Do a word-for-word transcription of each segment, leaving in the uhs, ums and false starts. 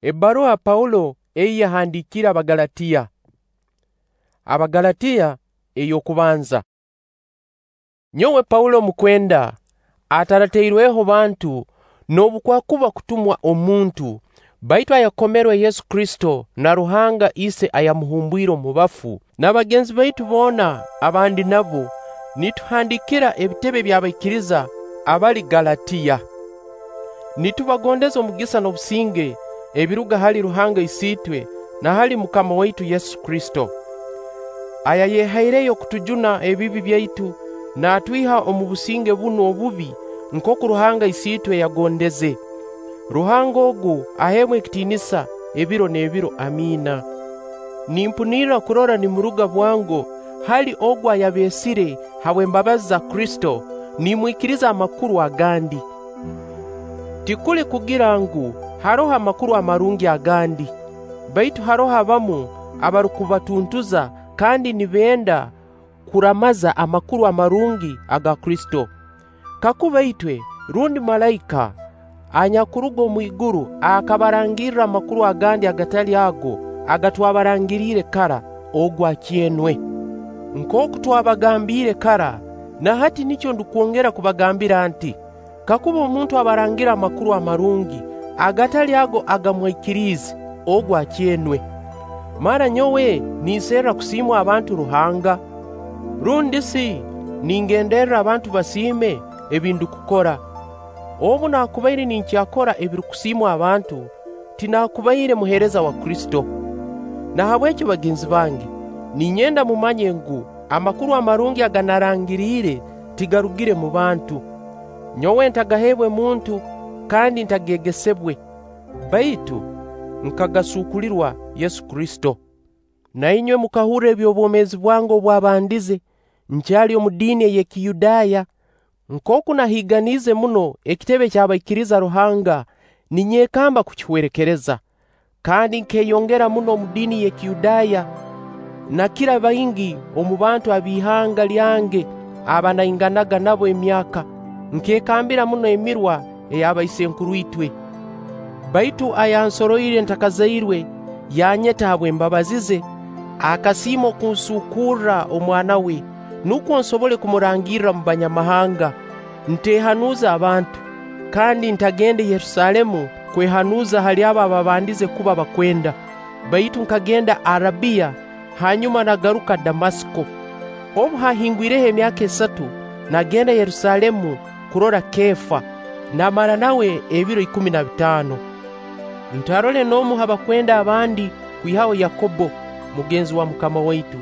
Ebbaruha Paulo ei yahandiikire Abagalatiya. Abagalatiya ey'okubanza. Nyowe Paulo omukwenda, ataratairweho bantu noobu kwakuba kutumwa omuntu, baitu ayakomerwe Yesu Kristo na Ruhanga Ise ayamuhumbwire omu bafu, na bagenzi baitu boona aba ndi nabo, nituhandiikira ebitebe by'abaikiriza abali Galatiya. Nitubagondeza omugisa n'obusinge ebiruga hali Ruhanga Isiitwe na hali MUKAMA waitu Yesu Kristo, ayayehaireyo kutujuna ebibi byaitu naatwiha omu businge bunu obubi nkooku Ruhanga Isiitwe yagondeze. Ruhanga ogu aheebwe ekitiinisa ebiro n'ebiro. Amiina. Nimpunirra kurora nimuruga bwango hali ogu ayabeesire habw'embabazi za Kristo, nimwikiriza amakuru agandi. Tikuli kugira ngu haroho amakuru amarungi agandi, baitu haroho abamu abarukubatuntuza kandi nibenda kuramaza amakuru amarungi aga Kristo. Kakuba itwe rundi malaika anyakuruga omwiguru akabarangirra amakuru agandi agatali ago agatwabarangiriire kara, ogu akyenwe. Nkooku twabagambiire kara, na hati nikyo ndukwongera kubagambira nti: Kakuba omuntu abarangira amakuru amarungi agatali ago aga mwaikiriize, ogu akyenwe. Mara nyowe ninserra kusiimwa abantu Ruhanga? Rundi si ningenderra abantu basiime ebi ndukukora? Obu naakubaire ninkyakora ebirukusiimwa abantu, tinaakubaire muheereza wa Kristo. Nahabwekyo bagenzi bange, ninyenda mumanye ngu amakuru amarungi aga narangiriire tigarugire mu bantu. Nyowe ntagaheebwe muntu kandi ntageegesebwe, baitu nkagasuukulirwa Yesu Kristo. Na inywe mukahurra eby'obwomeezi bwange obwabandize nkyali omu diini ey'Ekiyudaaya, nkooku nahiiganiize muno ekitebe ky'abaikiriza Ruhanga ninyekamba kukihwerekereza. Kandi nkeyongera muno omu diini y'Ekiyudaaya, nakira baingi omu bantu ab'ihanga lyange aba nainganaga nabo emyaka. Nkekambira muno emirwa ey'abaisenkuru itwe. Baitu ayansoroire ntakazairwe, yanyeta habw'embabazi ze, akasiima okunsuukurra Omwana we, nukwo nsobole kumurangirra omu Banyamahanga, nteehanuza abantu, kandi ntagende Yerusaalemu kwehanuza hali abo ababandize kuba bakwenda, baitu nkagenda Arabiya, hanyuma nagaruka Damasiko. Obu haahingwireho emyaka esatu, nagenda Yerusaalemu kurora Keefa, namara nawe ebiro ikumi na bitaano. Ntarole n'omu ha bakwenda abandi kwihaho Yakobbo, mugenzi wa MUKAMA waitu.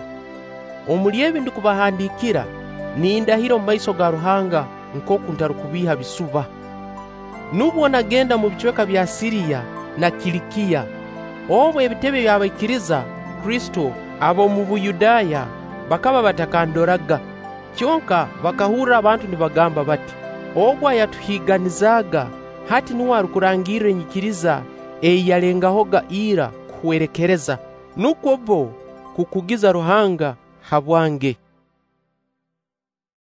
Omuli ebi ndukubahandiikira, nindahira omu maiso ga Ruhanga nkooku ntarukubiiha bisuba. Nubwo nagenda mu bicweka bya Siriya na Kilikiya. Obu ebitebe by'abaikiriza Kristo ab'omu Buyudaaya bakaba batakandoraga, kyonka bakahurra abantu nibagamba bati: "Ogu ayatuhiiganizaaga hati nuwe arukurangirra enyikiriza ei yalengahoga ira kuhwerekereza." Nukwo bbo kukugiza Ruhanga habwange.